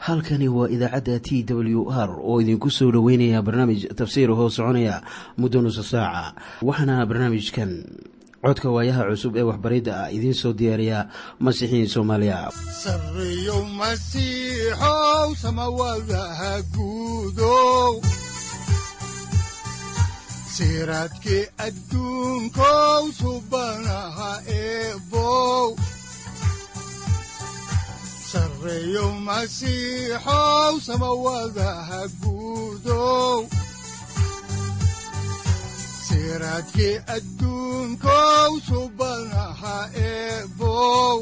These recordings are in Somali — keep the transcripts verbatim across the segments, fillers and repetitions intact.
Halkani waa idaacadda T W R oo idinku soo dhoweynaya barnaamij tafsiir hoo soconaya muddo nusa saaca. Waxaana barnaamijkan codka waayaha cusub ee waxbaridda ah idiin soo diyaariya Masiixiin Soomaaliya. Sarreyow Masiixow, samawadaha guudow, siraadkii adduunkow, subanaha eebow. Sarreyow Masiixow, samawadaha guudow, siraadkii adduunkow, subanaha eebow.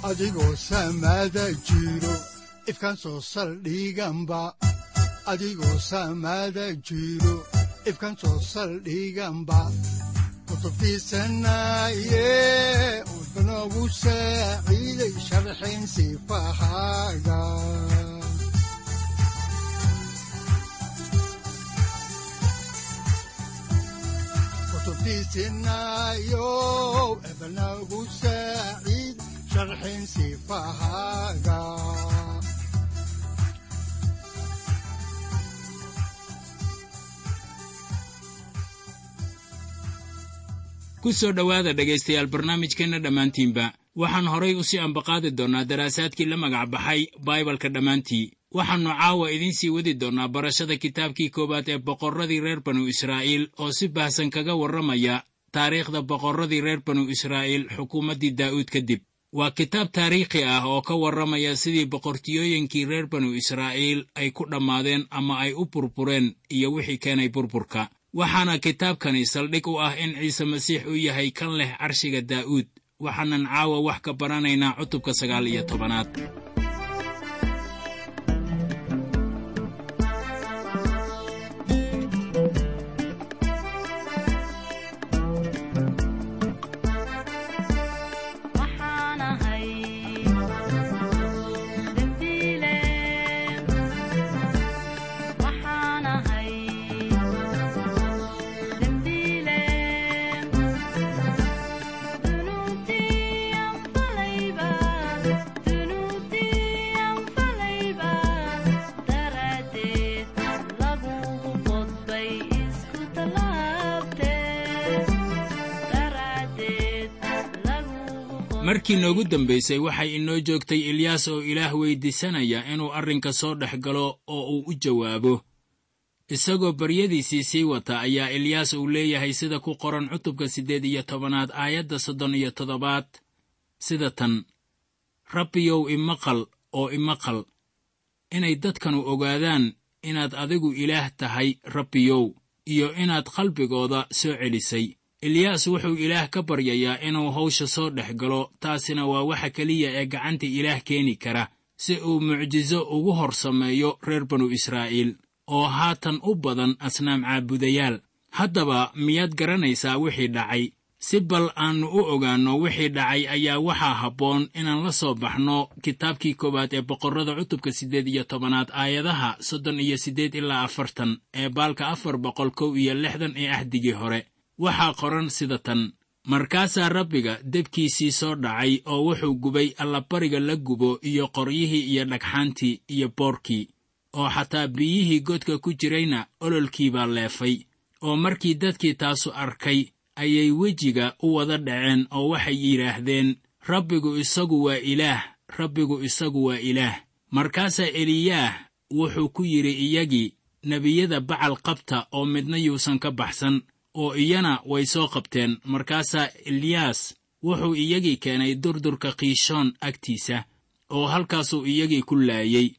Adigoo samada jiro, ifkaan soo saldhiganba, adigoo samada jiro, ifkaan soo saldhiganba, kutubtiisanaye, wuxunogu saaciiday sharxin sifahaaga. Kutubtiisinayo, ebanagu saaciid sharxin sifahaaga. Ku soo dhowaada, dhegaystayaal, barnaamijkeenna dhammaantiinba. Waxaan horay u sii ambaqaadi doonnaa daraasaadkii la magac baxay Baibalka dhammaantii. Waxaannu caawa idiin sii wadi doonnaa barashada kitaabkii koowaad ee boqorradii reer banu Israa'iil, oo si baahsan kaga warramaya taariikhda boqorradii reer banu Israa'iil xukuumaddii Daa'uud kadib. Waa kitaab taariikhi ah oo ka warramaya sidii boqortiyooyinkii reer banu Israa'iil ay ku dhammaadeen ama ay u burbureen iyo wixii keenay burburka. Waxaana kitaabkani saldhig u ah in Ciise Masiix uu yahay kan leh carshiga Daa'uud. Waxaanan caawa wax ka baranaynaa cutubka sagaal iyo tobanaad. Waxaan ahay dembiile, waxaan ahay dembiile, dunuubtii aan falayba, dunuubtii aan falayba, daraaddeed lagugu qodbay isku tallaabtee, daraaddeed lagugu. Markii noogu dambaysay waxay inoo joogtay Ilyaas oo Ilaah weyddiisanaya inuu arrinka soo dhex galo oo uu u jawaabo. Isagoo baryadiisii sii wata ayaa Ilyaas uu leeyahay, sida ku qoran cutubka siddeed iyo tobanaad aayadda soddon iyo toddobaad, sida tan: "Rabbiyow, imaqal oo imaqal, inay dadkanu ogaadaan inaad adigu Ilaah tahay, Rabbiyow, iyo inaad qalbigooda soo celisay." Ilyaas wuxuu Ilaah ka baryayaa inuu hawsha soo dhex galo. Taasina waa waxa keliya ee gacanta Ilaah keeni kara si uu mucjiso ugu hor sameeyo reer banu Israa'iil oo haatan u badan asnaam caabudayaal. Haddaba miyaad garanaysaa wixii dhacay? Si bal aannu u ogaanno wixii dhacay ayaa waxaa habboon inaan la soo baxno kitaabkii koowaad ee Boqorrada, cutubka siddeed iyo tobanaad, aayadaha soddon iyo siddeed ilaa afartan ee baalka afar boqol kow iyo lixdan ee Axdigii Hore. Waxaa qoran sida tan: "Markaasaa Rabbiga debkiisii soo dhacay oo wuxuu gubay allabariga la gubo iyo qoryihii iyo dhagxaantii iyo boorkii, oo xataa biyihii godka ku jirayna ololkii baa leefay. Oo markii dadkii taasu arkay ayay wejiga u wada dhaceen oo waxay yidhaahdeen, 'Rabbigu isagu waa Ilaah, Rabbigu isagu waa Ilaah.' Markaasaa Eliyaah wuxuu ku yidhi iyagii, 'Nebiyada Bacal qabta oo midna yuusan ka baxsan.' Oo iyana way soo qabteen. Markaasaa Eliyaas wuxuu iyagii keenay durdurka Kiishoon agtiisa, oo halkaasuu iyagii ku laayey."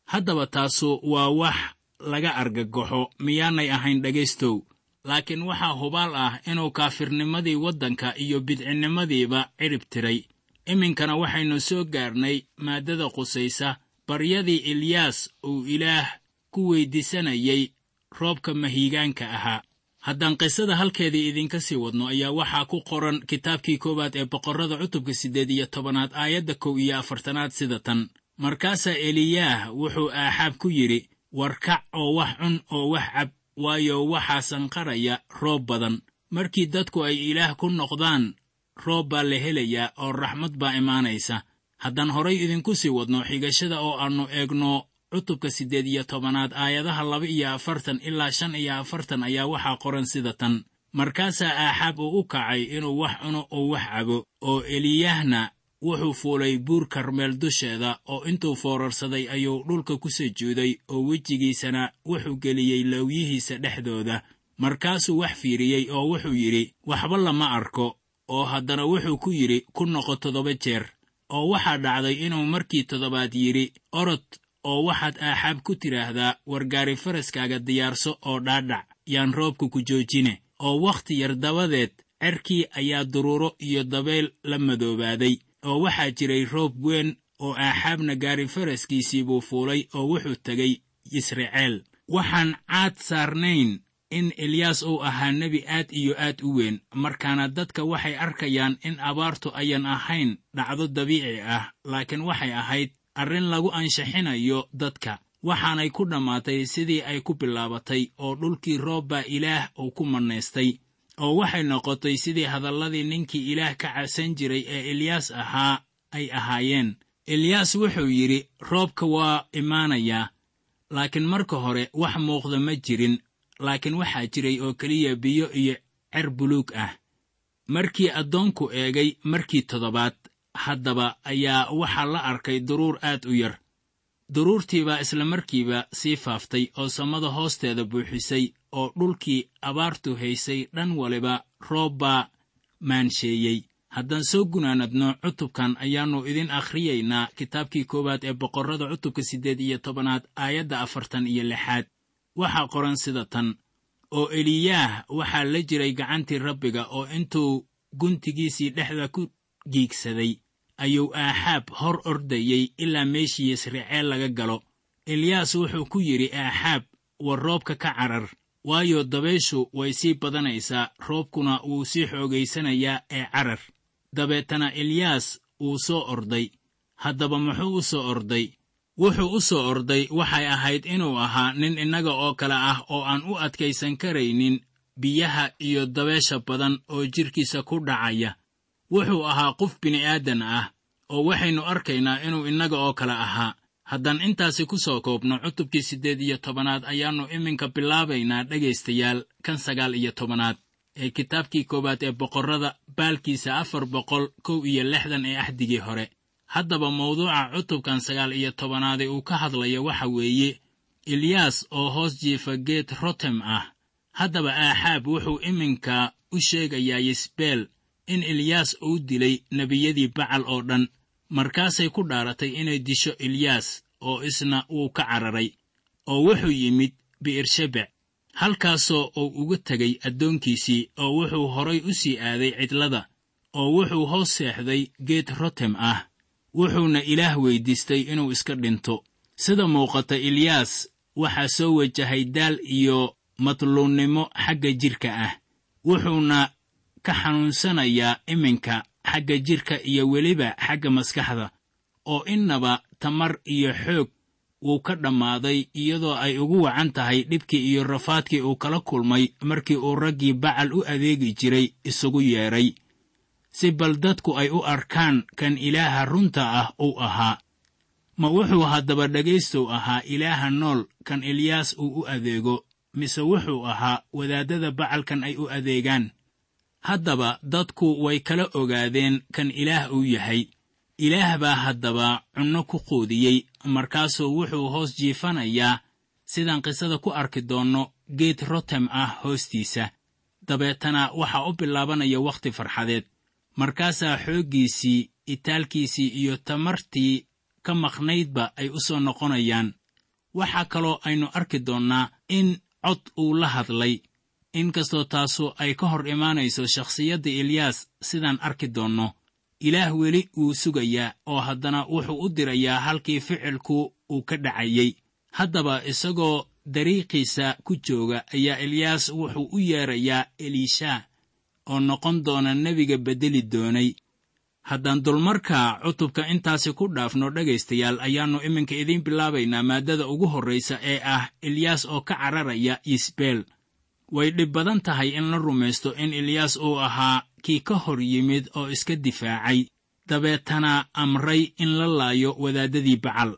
Haddaba taasu waa wax laga argagaxo, miyaanay ahayn, dhegaystow? Laakiin waxaa hubaal ah inuu kaafirnimadii waddanka iyo bidcinnimadiiba cidhib tiray. Iminkana waxaynu soo gaarnay maaddada qusaysa baryadii Eliyaas uu Ilaah ku weyddiisanayay roobka mahiigaanka ahaa. Haddaan qisada halkeedii idinka sii wadno ayaa waxaa ku qoran kitaabkii koowaad ee Boqorrada, cutubka siddeed iyo tobanaad, aayadda kow iyo afartanaad sida tan: "Markaasaa Eliyaah wuxuu Aaxaab ku yidhi, 'War kac oo wax cun oo wax cab, waayo, waxaa sanqaraya roob badan.' Markii dadku ay Ilaah ku noqdaan, roob baa la helayaa oo raxmad baa imaanaysa." Haddaan horay idinku sii wadno xigashada oo aannu eegno cutubka siddeed iyo tobanaad aayadaha laba iyo afartan ilaa shan iyo afartan ayaa waxaa qoran sida tan. Markaasaa Aaxaab uu u kacay inuu wax cuno oo wax cabo, oo Eliyahna wuxuu fuulay buur Karmeel dusheeda, oo intuu foorarsaday ayuu dhulka ku sujuuday, oo wejigiisana wuxuu geliyey lowyihiisa dhexdooda. Markaasuu wax fiiriyey oo wuxuu yidhi, waxba lama arko. Oo haddana wuxuu ku yidhi, ku noqo toddoba jeer. Oo waxaa dhacday inuu markii toddobaad yidhi, orod oo waxaad Aaxaab ku tidhaahdaa, wargaari faraskaaga diyaarso oo dhaadhac, yaan roobka ku joojine. Oo wakhti yar dabadeed cerkii ayaa duruuro iyo dabayl la madoobaaday, oo waxaa jiray roob weyn, oo Aaxaabna gaari faraskiisii buu fuulay oo wuxuu tegey Yisraceel. Waxaan caad saarnayn in Eliyaas uu ahaa nebi aad iyo aad u weyn. Markaana dadka waxay arkayaan in abaartu ayan ahayn dhacdo dabiici ah, laakiin waxay ahayd arrin lagu anshaxinayo dadka. Waxaanay ku dhammaatay sidii ay ku bilaabatay, oo dhulkii roob baa Ilaah uu ku mannaystay. Oo waxay noqotay sidii hadalladii ninkii Ilaah ka cabsan jiray ee Eliyaas ahaa ay ahaayeen. Eliyaas wuxuu yidhi, roobka waa imaanayaa, laakiin marka hore wax muuqda ma jirin, laakiin waxaa jiray oo keliya biyo iyo cer buluug ah. Markii addoonku eegay markii toddobaad haddaba ayaa waxaa la arkay duruur aad u yar. Duruurtiibaa isla markiiba sii faaftay oo samada hoosteeda buuxisay, oo dhulkii abaartu haysay dhan waliba roob baa maansheeyey. Haddaan soo gunaanadno cutubkan ayaannu idin akhriyaynaa kitaabkii koowaad ee Boqorrada cutubka siddeed iyo tobanaad aayadda afartan iyo lixaad. Waxaa qoran sida tan: oo Eliyaah waxaa la jiray gacantii Rabbiga, oo intuu guntigiisii dhexda ku giigsaday ayuu Aaxaab hor ordayey ilaa meeshii Yisraceel laga galo. Eliyaas wuxuu ku yidhi Aaxaab, war roobka ka carar, waayo dabayshu way sii badanaysaa, roobkuna wuu sii xoogaysanayaa ee carar. Dabeetana Eliyaas wuu soo orday. Haddaba muxuu u soo orday? Wuxuu u soo orday waxay ahayd inuu ahaa nin innaga oo kale ah oo aan u adkaysan karaynin biyaha iyo dabeesha badan oo jidhkiisa ku dhacaya. Wuxuu ahaa qof bini'aadan ah, oo waxaynu arkaynaa inuu innaga oo kale ahaa. Haddaan intaasi ku soo koobno cutubkii siddeed iyo tobanaad ayaannu iminka bilaabaynaa dhegaystayaal kan sagaal iyo tobanaad ee kitaabkii koowaad ee Boqorrada baalkiisa afar boqol kow iyo lixdan ee axdigii hore. Haddaba mawduuca cutubkan sagaal iyo tobanaade uu ka hadlaya waxa weeye Eliyaas oo hoos jiifa geed rotem ah. Haddaba Aaxaab wuxuu iminka u sheegayaa Yisbeel in Eliyaas uu dilay nebiyadii Bacal oo dhan. Markaasay ku dhaaratay inay disho Eliyaas, oo isna wuu ka cararay, oo wuxuu yimid Bi'ershebec, halkaasoo uu uga tegay addoonkiisii, oo wuxuu horay u sii aaday cidlada, oo wuxuu hoos seexday geed rotem ah, wuxuuna Ilaah weydiistay inuu iska dhinto. Sida muuqata Eliyaas waxaa soo wajahay daal iyo madluunnimo xagga jidhka ah, wuxuuna ka xanuunsanayaa iminka xagga jidhka iyo weliba xagga maskaxda, oo innaba tamar iyo xoog wuu ka dhammaaday, iyadoo ay ugu wacan tahay dhibkii iyo rafaadkii uu kala kulmay markii uu raggii Bacal u adeegi jiray isugu yeedhay, si bal dadku ay u arkaan kan Ilaaha runta ah uu ahaa. Ma wuxuu haddaba dhegaystow ahaa Ilaaha nool kan Eliyaas uu u adeego, mise wuxuu ahaa wadaaddada Bacalkan ay u adeegaan? Haddaba dadku way kala ogaadeen kan Ilaah uu yahay. Ilaah baa haddaba cunno ku quudiyey, markaasuu wuxuu hoos jiifanayaa, sidaan qisada ku arki doonno, geed rotem ah hoostiisa. Dabeetana waxaa u bilaabanaya wakhti farxadeed. Markaasaa xooggiisii, itaalkiisii iyo tamartii ka maqnaydba ay u soo noqonayaan. Waxaa kaloo aynu arki doonnaa in cod uu la hadlay, inkastoo taasu ay ka hor imaanayso shakhsiyadda Eliyaas, sidaan arki doonno. Ilaah weli wuu sugayaa, oo haddana wuxuu u dirayaa halkii ficilku uu ka dhacayey. Haddaba isagoo dariiqiisa ku jooga ayaa Eliyaas wuxuu u yeerayaa Eliishaa, oo noqon doona nebiga beddeli doonay. Haddaan dulmarka cutubka intaasi ku dhaafno dhegaystayaal, ayaannu iminka idiin bilaabaynaa maaddada ugu horraysa ee ah Eliyaas oo ka cararaya Yisbeel. Way dhib badan tahay in la rumaysto in Eliyaas uu ahaa kii ka hor yimid oo iska difaacay Dabeetana amray in la laayo wadaadadii Bacal,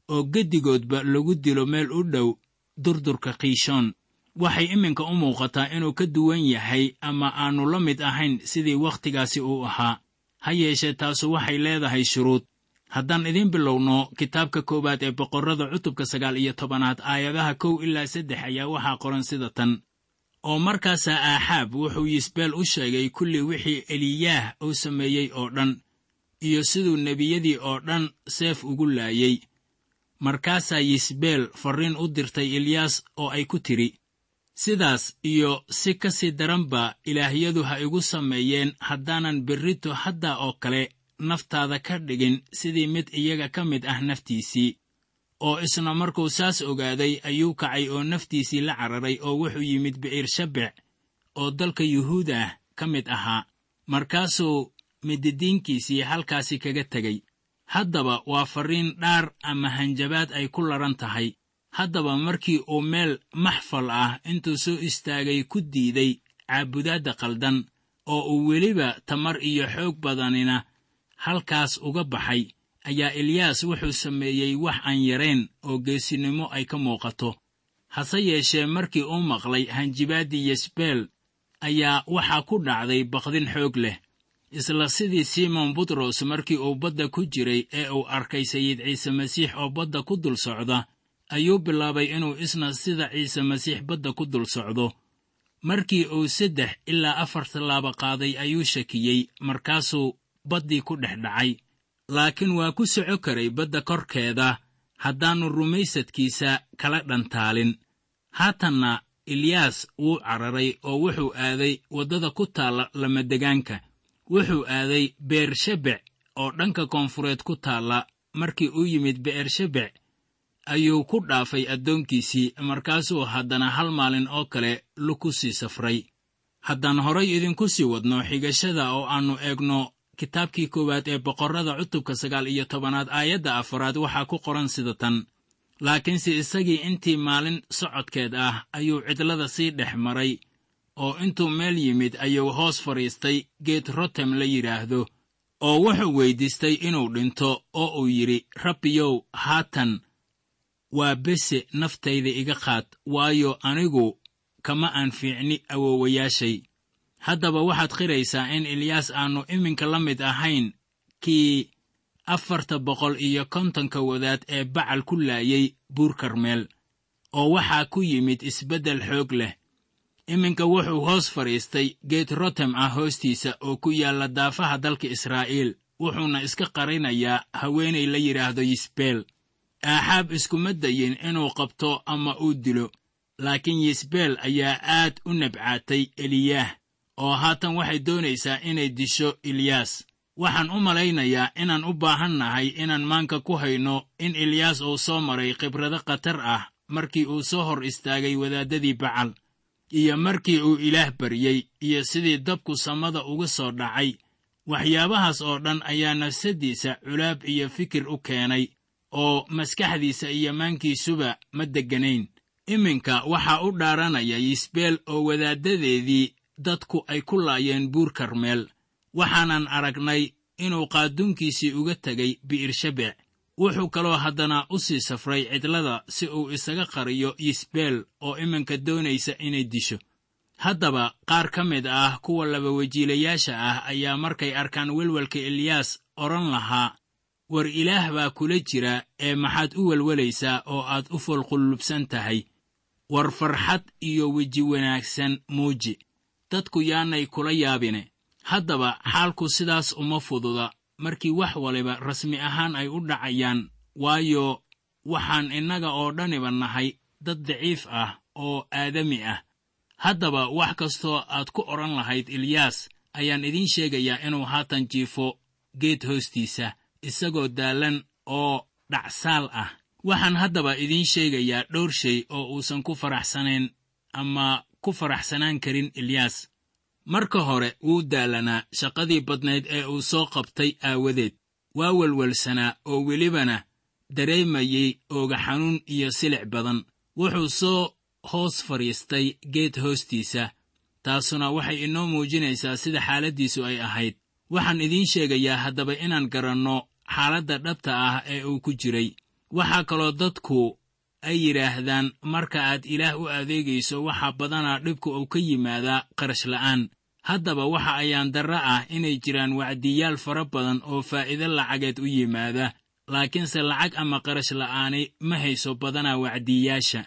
oo geddigoodba lagu dilo meel u dhow durdurka Qiishoon. Waxay iminka u muuqataa inuu ka duwan yahay ama aanu la mid ahayn sidii wakhtigaasi uu ahaa. Ha yeeshee taasu waxay leedahay shuruud. Haddaan idiin bilowno kitaabka koowaad ee Boqorrada cutubka sagaal iyo tobanaad aayadaha kow ilaa saddex ayaa waxaa qoran sida tan. Oo markaasaa Aaxaab wuxuu Yisbeel u sheegay kulli wixii Eliyaah uu sameeyey oo dhan, iyo siduu nebiyadii oo dhan seef ugu laayey. Markaasaa Yisbeel farriin u dirtay Eliyaas oo ay ku tidhi, sidaas iyo si ka sii daranba ilaahyadu ha igu sameeyeen haddaanan berrito hadda oo kale naftaada ka dhigin sidii mid iyaga ka mid ah naftiisii. Oo isna markuu saas ogaaday ayuu kacay oo naftiisii la cararay, oo wuxuu yimid Bi'ir-Shabec oo dalka Yuhuudah ka mid ahaa. Markaasuu mididiinkiisii halkaasi kaga tegey. Haddaba waa farriin dhaar ama hanjabaad ay ku laran tahay. Haddaba markii uu meel maxfal ah intuu soo istaagay ku diiday caabudaadda qaldan, oo uu weliba tamar iyo xoog badanina halkaas uga baxay, ayaa Eliyaas wuxuu sameeyey wax aan yarayn oo geesinimo ay ka muuqato. Hase yeeshee markii uu maqlay hanjibaaddii Yesbeel ayaa waxaa ku dhacday baqdin xoog leh. Isla sidii Simon Butros markii uu badda ku jiray ee uu arkay Sayid Ciise Masiix oo badda ku dul socda, ayuu bilaabay inuu isna sida Ciise Masiix badda ku dul socdo. Markii uu saddex ilaa afar tallaabo qaaday ayuu shakiyey, markaasuu baddii ku dhex dhacay. Laakiin waa ku soco karay badda korkeeda haddaannu rumaysadkiisa kala dhantaalin. Haatanna Eliyaas wuu cararay oo wuxuu aaday waddada ku taalla lamadegaanka. Wuxuu aaday Beershebec oo dhanka koonfureed ku taalla. Markii uu yimid Beershebec ayuu ku dhaafay addoonkiisii, markaasuu haddana hal maalin oo kale luku sii safray. Haddaan horay idinku sii wadno xigashada oo aannu eegno kitaabkii koowaad ee Boqorrada cutubka sagaal iyo tobanaad aayadda afaraad waxaa ku qoran sida tan. Laakiinse isagii intii maalin socodkeed ah ayuu cidlada sii dhex maray, oo intuu meel yimid ayuu hoos fadhiistay geed rotem la yidhaahdo, oo wuxuu weydiistay inuu dhinto, oo uu yidhi, Rabbiyow, haatan waa bese naftayda iga qaad, waayo anigu kama aan fiicni awoowayaashay. Haddaba waxaad qiraysaa in Eliyaas aanu iminka la mid ahayn kii afarta boqol iyo kontonka wadaad ee Bacal ku laayay buur Karmeel, oo waxaa ku yimid isbeddel xoog leh. Iminka wuxuu hoos fadhiistay geed rotem ah hoostiisa oo ku yaalla daafaha dalka Israa'iil, wuxuuna iska qarinayaa haweenay la yidhaahdo Yisbeel. Aaxaab iskuma dayin inuu qabto ama uu dilo, laakiin Yisbeel ayaa aad u nabcaatay Eliyaah, oo haatan waxay doonaysaa inay disho Eliyaas. Waxaan u malaynayaa inaan u baahan nahay inaan maanka ku hayno in Eliyaas uu soo maray khibrado khatar ah markii uu soo hor istaagay wadaadadii Bacal, iyo markii uu Ilaah baryey, iyo sidii dabku samada uga soo dhacay. Waxyaabahaas oo dhan ayaa nafsaddiisa culaab iyo fikir u keenay, oo maskaxdiisa iyo maankiisuba ma degganayn. Iminka waxaa u dhaaranaya Yisbeel oo wadaaddadeedii dadku ay ku laayeen buur Karmeel. Waxaanan aragnay inuu qaaduunkiisii uga tegay Bi'ir-Shabec. Wuxuu kaloo haddana u sii safray cidlada si uu isaga qariyo Yisbeel oo iminka doonaysa inay disho. Haddaba qaar ka mid ah kuwa labawajiilayaasha ah ayaa markay arkaan welwelka Eliyaas odhan lahaa, war Ilaah baa kula jira ee maxaad u welwelaysaa oo aad u foolqullubsan tahay? War farxad iyo weji wanaagsan muuji, dadku yaanay kula yaabine. Haddaba xaalku sidaas uma fududa markii wax waliba rasmi ahaan ay u dhacayaan, waayo waxaan innaga oo dhaniba nahay dad daciif ah oo aadami ah. Haddaba wax kastoo aad ku odhan lahayd Eliyaas ayaan idiin sheegayaa inuu haatan jiifo geed hoostiisa, isagoo daalan oo dhacsaal ah. Waxaan haddaba idiin sheegayaa dhowr shay oo uusan ku faraxsanayn ama ku faraxsanaan karin Eliyaas. Marka hore wuu daalanaa shaqadii badnayd ee uu soo qabtay aawadeed. Waa welwelsanaa oo welibana dareemayey ooga xanuun iyo silic badan. Wuxuu soo hoos fadhiistay geed hoostiisa, taasuna waxay inoo muujinaysaa sida xaaladdiisu ay ahayd. Waxaan idiin sheegayaa haddaba inaan garanno xaaladda dhabta ah ee uu ku jiray. Waxaa kaloo dadku ay yidhaahdaan marka aad Ilaah u adeegayso waxaa badanaa dhibku uu ka yimaadaa qarash la'aan. Haddaba waxa ayaan darro ah inay jiraan wacdiyaal fara badan oo faa'iido lacageed u yimaada, laakiinse lacag ama qarash la'aani ma hayso badanaa wacdiyaasha.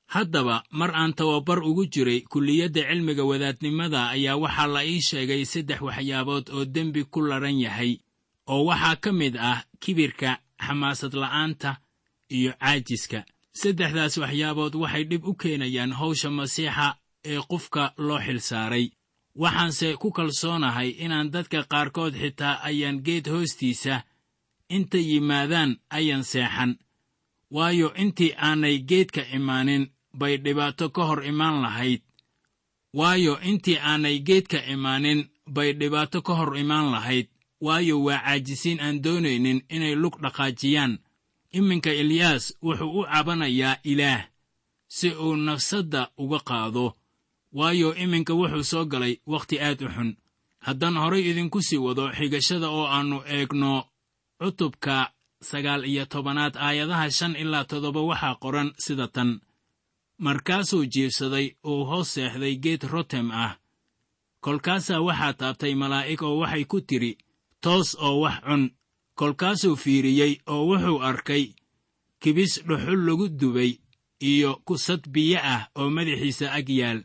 Haddaba mar aan tababar ugu jiray kulliyadda cilmiga wadaadnimada ayaa waxaa la ii sheegay saddex waxyaabood oo dembi ku laran yahay, oo waxaa ka mid ah kibirka, xamaasad la'aanta iyo caajiska. Saddexdaas waxyaabood waxay dhib u keenayaan hawsha Masiixa ee qofka loo xilsaaray. Waxaanse ku kalsoonahay inaan dadka qaarkood xitaa ayaan geed hoostiisa inta yimaadaan ayan seexan, waayo intii aanay geedka imaanin bay dhibaato ka hor imaan lahayd. Waayo intii aanay geedka imaanin bay dhibaato ka hor imaan lahayd, waayo waa caajisiin aan doonaynin inay lug dhaqaajiyaan. Iminka Eliyaas wuxuu u cabanayaa Ilaah si uu nafsadda uga qaado, waayo iminka wuxuu soo galay wakhti aad u xun. Haddaan horay idinku sii wado xigashada oo aannu eegno cutubka sagaal iyo tobanaad aayadaha shan ilaa toddoba waxaa qoran sida tan: Markaasuu jiibsaday uu hoos seexday geed rotem ah. Kolkaasaa waxaa taabtay malaa'ig oo waxay ku tidhi, toos oo wax cun. Kolkaasuu fiiriyey oo wuxuu arkay kibis dhuxul lagu dubay iyo kusad biyo ah oo madaxiisa ag yaal.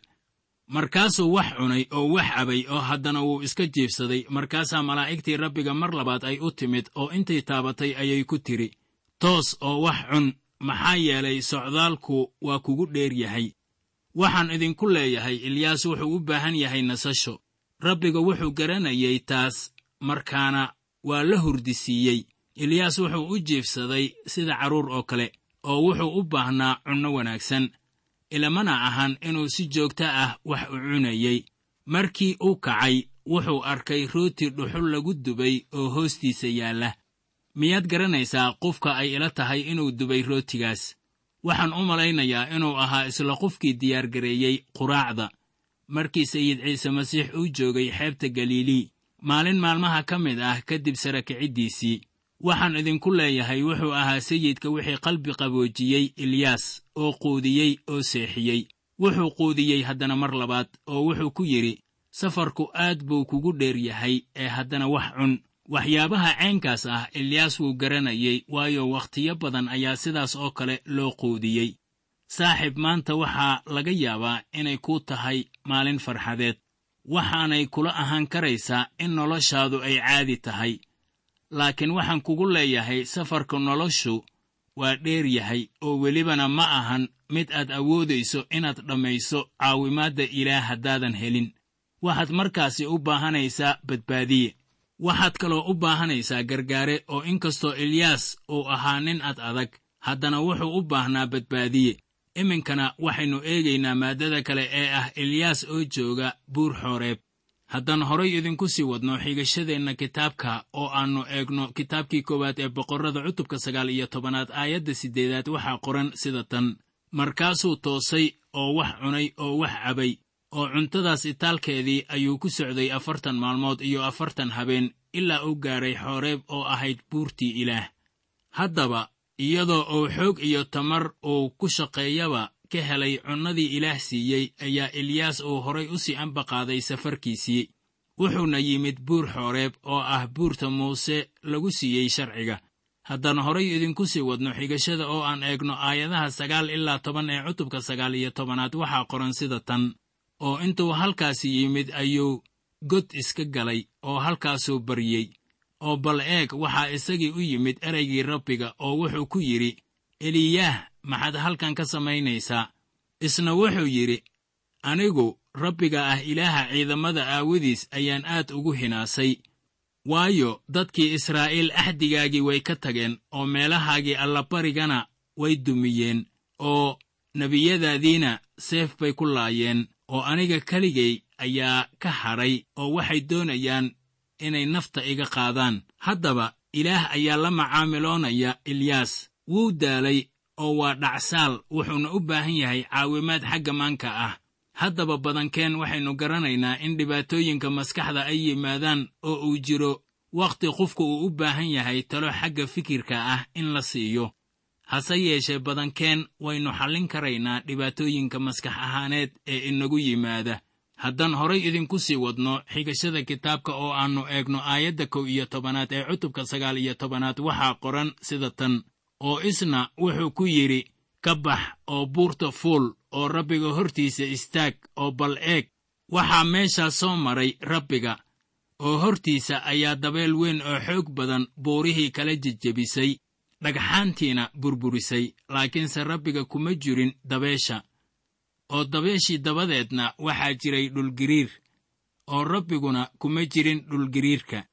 Markaasuu wax cunay oo wax cabay oo haddana wuu iska jiibsaday. Markaasaa malaa'igtii Rabbiga mar labaad ay u timid oo intay taabatay ayay ku tidhi, toos oo wax cun, maxaa yeelay socdaalku waa kugu dheer yahay. Waxaan idinku leeyahay Eliyaas wuxuu u baahan yahay nasasho. Rabbiga wuxuu garanayay taas, markaana waa la hurdisiiyey. Eliyaas wuxuu u jiibsaday sida carruur oo kale, oo wuxuu u baahnaa cunno wanaagsan. Ilamana ahan inuu si joogto ah wax u cunayey. Markii uu kacay wuxuu arkay rooti dhuxul lagu dubay oo hoostiisa yaalla. Miyaad garanaysaa qofka ay ila tahay inuu dubay rootigaas? Waxaan u malaynayaa inuu ahaa isla qofkii diyaargareeyey quraacda markii Sayid Ciise Masiix uu joogay xeebta Galilii maalin maalmaha ka mid ah kadib sarakiciddiisii. Waxaan idinku leeyahay wuxuu ahaa sayidka wixii qalbi qaboojiyey Eliyaas oo quudiyey oo seexiyey. Wuxuu quudiyey haddana mar labaad oo wuxuu ku yidhi, safarku aad buu kugu dheer yahay ee haddana wax cun. Waxyaabaha ceenkaas ah Eliyaas wuu garanayay, waayo wakhtiyo badan ayaa sidaas oo kale loo quudiyey. Saaxiib, maanta waxaa laga yaabaa inay kuu tahay maalin farxadeed. Waxaanay kula ahaan karaysaa in noloshaadu ay caadi tahay, laakiin waxaan kugu leeyahay safarka noloshu waa dheer yahay, oo welibana ma ahan mid aad awoodayso inaad dhammayso caawimaadda Ilaah haddaadan helin. Waxaad markaasi u baahanaysaa badbaadiye. Waxaad kaloo u baahanaysaa gargaare, oo inkastoo Eliyaas uu ahaa nin ad adag, haddana wuxuu u baahnaa badbaadiye. Iminkana waxaynu eegaynaa maaddada kale ee ah Eliyaas oo jooga buur Xooreeb. Haddaan horay idinku sii wadno xigashadeenna kitaabka oo aannu eegno kitaabkii koowaad ee Boqorrada cutubka sagaal iyo tobanaad aayadda siddeedaad waxaa qoran sida tan: Markaasuu toosay oo wax cunay oo wax cabay, oo cuntadaas itaalkeedii ayuu ku socday afartan maalmood iyo afartan habeen ilaa uu gaaray Xooreeb oo ahayd buurtii Ilaah. Haddaba iyadoo uu xoog iyo tamar uu ku shaqeeyaba ka helay cunnadii Ilaah siiyey, ayaa Eliyaas uu horay u sii ambaqaaday safarkiisii. Wuxuuna yimid buur Xooreeb oo ah buurta Muuse lagu siiyey sharciga. Haddaan horay idinku sii wadno xigashada oo aan eegno aayadaha sagaal ilaa toban ee cutubka sagaal iyo tobanaad waxaa qoran sida tan: oo intuu halkaasi yimid ayuu god iska galay oo halkaasuu baryey. Oo bal eeg, waxaa isagii u yimid ereygii Rabbiga oo wuxuu ku yidhi, Eliyaah, maxaad halkan ka samaynaysaa? Isna wuxuu yidhi, anigu Rabbiga ah Ilaaha ciidamada aawadiis ayaan aad ugu hinaasay, waayo dadkii Israa'iil axdigaagii way ka tageen oo meelahaagii allabarigana way dumiyeen, oo nebiyadaadiina seef bay ku laayeen, oo aniga keligay ayaa ka hadhay oo waxay doonayaan inay nafta iga qaadaan. Haddaba Ilaah ayaa la macaamiloonaya Eliyaas. Wuu daalay oo waa dhacsaal, wuxuuna u baahan yahay caawimaad xagga maanka ah. Haddaba badankeen waxaynu garanaynaa in dhibaatooyinka maskaxda ay yimaadaan oo uu jiro wakhti qofku uu u baahan yahay talo xagga fikirka ah in la siiyo. Hase yeeshee badankeen waynu xallin karaynaa dhibaatooyinka maskax ahaaneed ee inagu yimaada. Haddaan horay idinku sii wadno xigashada kitaabka oo aannu eegno aayadda kow iyo tobanaad ee cutubka sagaal iyo tobanaad, waxaa qoran sida tan: oo isna wuxuu ku yidhi, ka bax oo buurta fuul oo Rabbiga hortiisa istaag, oo bal eeg, waxaa meeshaas soo maray Rabbiga, oo hortiisa ayaa dabeel weyn oo xoog badan buurihii kala jejebisay, dhagxaantiina burburisay, laakiinse Rabbiga kuma jirin dabeesha. Oo dabeeshii dabadeedna waxaa jiray dhulgiriir, oo Rabbiguna kuma jirin dhulgiriirka.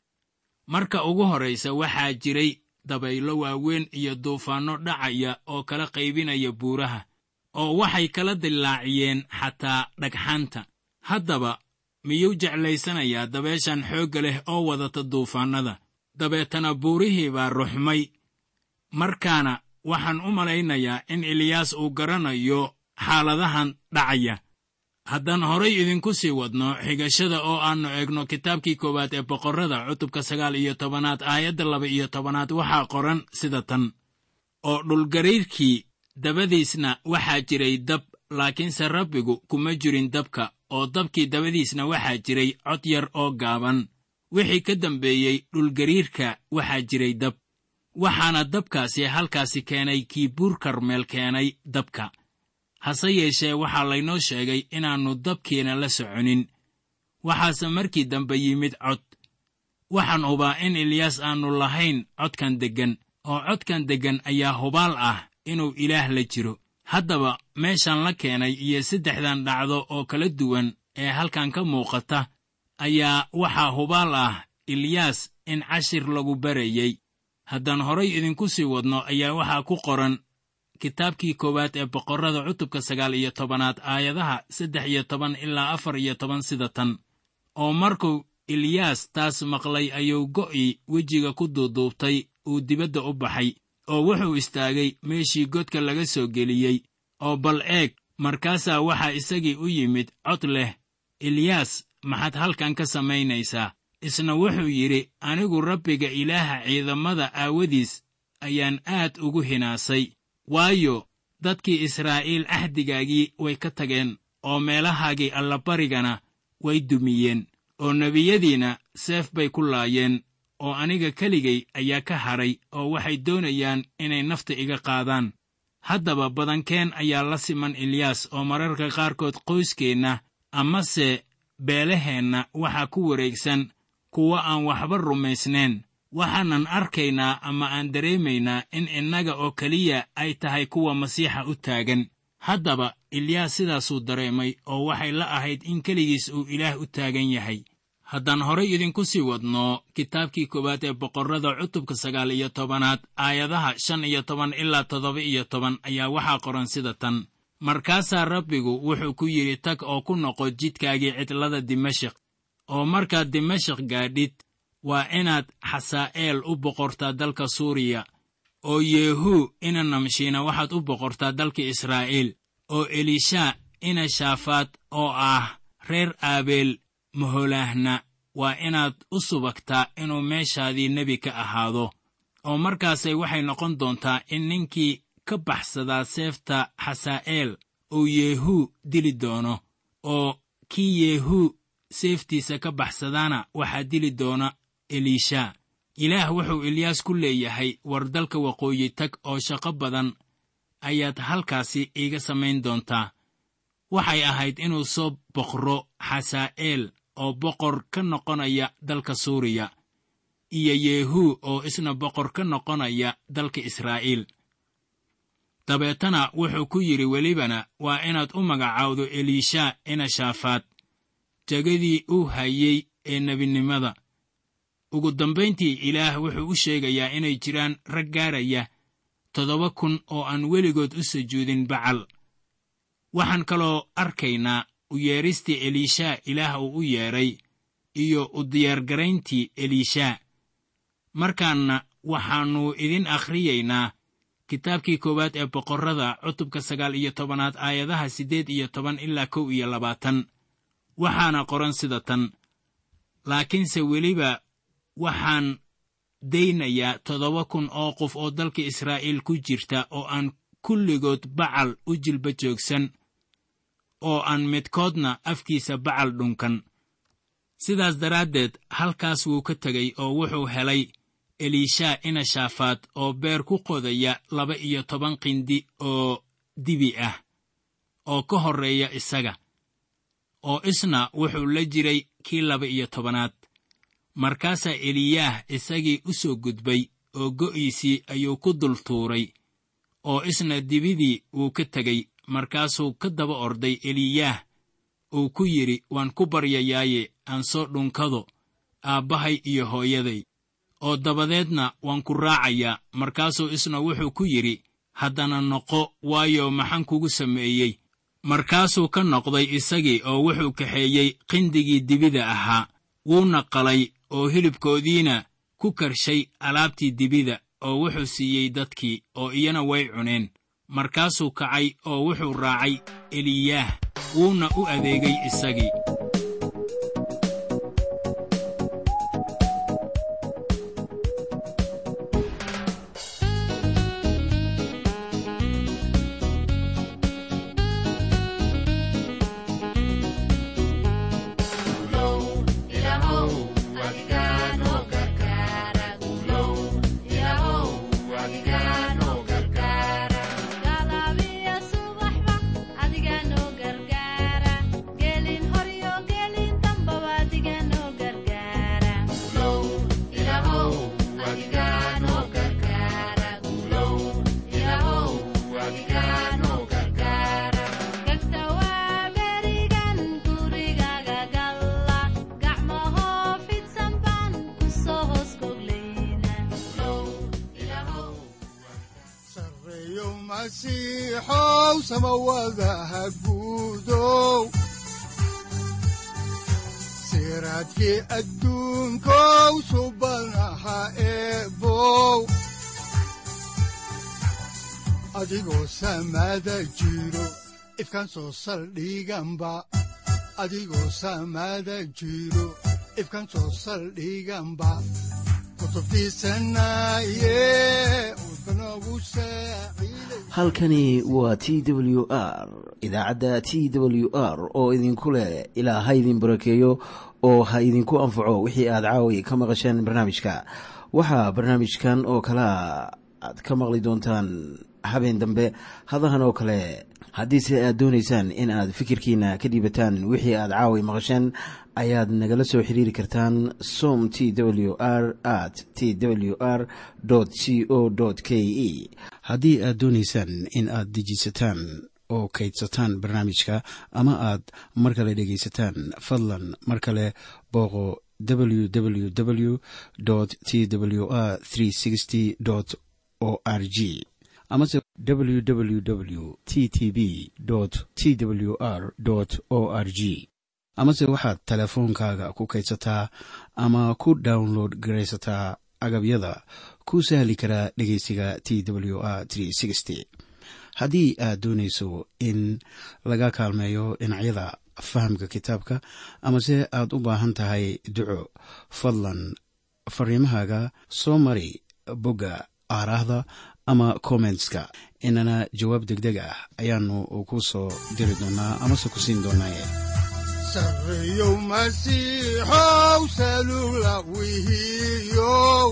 Marka ugu horraysa waxaa jiray dabaylo waaweyn iyo duufaanno dhacaya oo kala qaybinaya buuraha, oo waxay kala dillaaciyeen xataa dhagxaanta. Haddaba miyuu jeclaysanayaa dabeeshan xoogga leh oo wadata duufaannada? Dabeetana buurihii baa ruxmay. Markaana waxaan u malaynayaa in Eliyaas uu garanayo xaaladahan dhacaya. Haddaan horay idinku sii wadno xigashada oo aannu eegno kitaabkii koowaad ee Boqorrada cutubka sagaal iyo tobanaad aayadda laba iyo tobanaad, waxaa qoran sida tan: oo dhulgariirkii dabadiisna waxaa jiray dab, laakiinse Rabbigu kuma jirin dabka, oo dabkii dabadiisna waxaa jiray cod yar oo gaaban. Wixii ka dambeeyey dhulgariirka waxaa jiray dab, waxaana dabkaasi halkaasi keenay kii Buur Karmeel keenay dabka. Hase yeeshee waxaa laynoo sheegay inaannu dabkiina la soconin. Waxaase markii dambe yimid cod. Waxaan hubaa in Eliyaas aannu lahayn codkan deggan, oo codkan deggan ayaa hubaal ah inuu Ilaah la jiro. Haddaba meeshan la keenay iyo saddexdan dhacdo oo kala duwan ee halkan ka muuqata ayaa waxaa hubaal ah Eliyaas in cashir lagu barayey. Haddaan horay idinku sii wadno ayaa waxaa ku qoran kitaabkii koowaad ee Boqorrada cutubka sagaal iyo tobanaad aayadaha saddex iyo toban ilaa afar iyo toban sida tan: oo markuu Eliyaas taas maqlay ayuu go'ii wejiga ku duuduubtay, uu dibadda u baxay, oo wuxuu istaagay meeshii godka laga soo geliyey. Oo bal eeg, markaasaa waxaa isagii u yimid cod leh, Eliyaas, maxaad halkan ka samaynaysaa? Isna wuxuu yidhi, anigu Rabbiga Ilaaha ciidamada aawadiis ayaan aad ugu hinaasay, waayo dadkii Israa'iil axdigaagii way ka tageen, oo meelahaagii allabarigana way dumiyeen, oo nebiyadiina seef bay ku laayeen, oo aniga keligay ayaa ka hadhay, oo waxay doonayaan inay nafta iga qaadaan. Haddaba badankeen ayaa la siman Eliyaas, oo mararka qaarkood qoyskeenna amase beelaheenna waxaa ku wareegsan kuwa aan waxba rumaysnayn. Waxaanan arkaynaa ama aan dareemaynaa in innaga oo keliya ay tahay kuwa Masiixa u taagan. Haddaba Eliyaas sidaasuu dareemay, oo waxay la ahayd in keligiis uu Ilaah u taagan yahay. Haddaan horay idinku sii wadno kitaabkii koowaad ee Boqorrada cutubka sagaal iyo tobanaad aayadaha shan iyo toban ilaa toddoba iyo toban ayaa waxaa qoran sida tan: markaasaa Rabbigu wuxuu ku yidhi, tag oo ku noqo jidkaagii cidlada Dimashik, oo markaad Dimashik gaadhid waa inaad Xasaa'eel u boqortaa dalka Suuriya, oo Yeehuu ina Namshiina waxaad u boqortaa dalka Israa'iil, oo Elishaa ina Shaafaad oo ah reer Aabeel Maholaahna waa inaad u subagtaa inuu meeshaadii nebi ka ahaado. Oo markaasay waxay noqon doontaa in ninkii ka baxsadaa seefta Xasaa'eel uu Yeehuu dili doono, oo kii Yeehuu seeftiisa ka baxsadaana waxaa dili doona Elishaa. Ilaah wuxuu Eliyaas ku leeyahay, war dalka waqooyi tag, oo shaqo badan ayaad halkaasi iiga samayn doontaa. Waxay ahayd inuu soo boqro Xasaa'eel oo boqor ka noqonaya dalka Suuriya, iyo Yeehuu oo isna boqor ka noqonaya dalka Israa'iil. Dabeetana wuxuu ku yidhi welibana waa inaad u magacaawdo Elishaa ina Shaafaad jegadii uu hayey ee nebinimada. Ugu dambayntii Ilaah wuxuu u sheegayaa inay jiraan rag gaaraya toddoba kun oo aan weligood u sujuudin Bacal. Waxaan kaloo arkaynaa u yeedhistii Elishaa Ilaah uu u yeedhay iyo u diyaargarayntii Elishaa. Markaanna waxaannu idin akhriyaynaa Kitaabkii koowaad ee boqorrada cutubka sagaal iyo tobanaad aayadaha siddeed iyo toban ilaa kow iyo labaatan. Waxaana qoran sida tan: laakiinse weliba waxaan daynayaa toddoba kun oo qof oo dalka Israa'iil ku jirta oo aan kulligood Bacal u jilba joogsan, oo aan midkoodna afkiisa Bacal dhunkan. Sidaas daraaddeed halkaas wuu ka tegey oo wuxuu helay Eliishaa ina Shaafaad oo beer ku qodaya laba iyo toban qindi oo dibi ah oo ka horreeya isaga, oo isna wuxuu la jiray kii laba iyo tobanaad. Markaasaa Eliyaah isagii u soo gudbay oo go'iisii ayuu ku dul tuuray, oo isna dibidii wuu ka tegey. Markaasuu ka daba orday Eliyaah uu ku yidhi, waan ku baryayaaye aan soo dhunkado aabbahay iyo hooyaday, oo dabadeedna waan ku raacayaa. Markaasuu isna wuxuu ku yidhi, haddana noqo, waayo maxaan kugu sameeyey? Markaasuu ka noqday isagii oo wuxuu kaxeeyey qindigii dibida ahaa, wuuna qalay oo hilibkoodiina ku karshay alaabtii dibida, oo wuxuu siiyey dadkii, oo iyana way cuneen. Markaasuu kacay oo wuxuu raacay Eliyaah, wuuna u adeegay isagii. Masiixow samawadaha guudow, siraadkii adduunkow subanaha eebow, adigoo samada jiro ifkaan soo saldhiganba, adigoo samada jiro ifkaan soo saldhiganba, Halkani waa T W R idaacadda T W R oo idinku leh ilaa ha idin barakeeyo oo ha idinku anfaco wixii aad caawi ka maqasheen barnaamijka. Waxaa barnaamijkan oo kalea aad ka maqli doontaan habeen dambe hadahan oo kale. Haddiise aad doonaysaan in aad fikirkiina ka dhiibataan wixii aad caawi maqasheen, ayaad nagala soo xiriiri kartaan som t w r at t w r c o k e. Haddii aad doonaysaan in aad dejiisataan oo kaydsataan barnaamijka ama aad mar kale dhegaysataan, fadlan mar kale booqo w w w t w r o r g amase w w w t t b t w r o r g, amase waxaad teleefoonkaaga ku kaydsataa ama ku download garaysataa agabyada ku sahli karaa dhegeysiga T W R. Haddii aad doonayso in laga kaalmeeyo dhinacyada fahamka kitaabka amase aad u baahan tahay duco, fadlan fariimahaaga soo mari bogga aaraahda ama kommentska, inana jawaab degdeg ah ayaanu ku soo diri doonaa amase ku siin doonaaye. Sarreeyow Masiixow salugla wihiyow,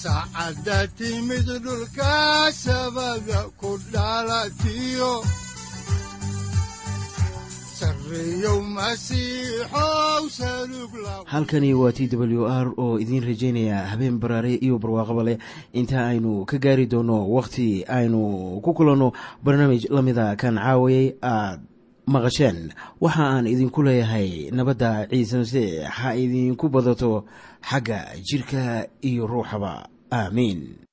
saacadda timid dhulka sabada ku dhalatiyo, sarreeyow Masiixow salugla. Halkani waa T W R oo idiin rajaynaya habeen baraare iyo barwaaqaba leh inta aynu ka gaari doono wakhti aynu ku kulanno barnaamij la mida kan caawayay aad maqasheen. Waxa aan idinku leeyahay nabadda Ciise Masiix ha idinku badato xagga jirka iyo ruuxaba. Aamiin.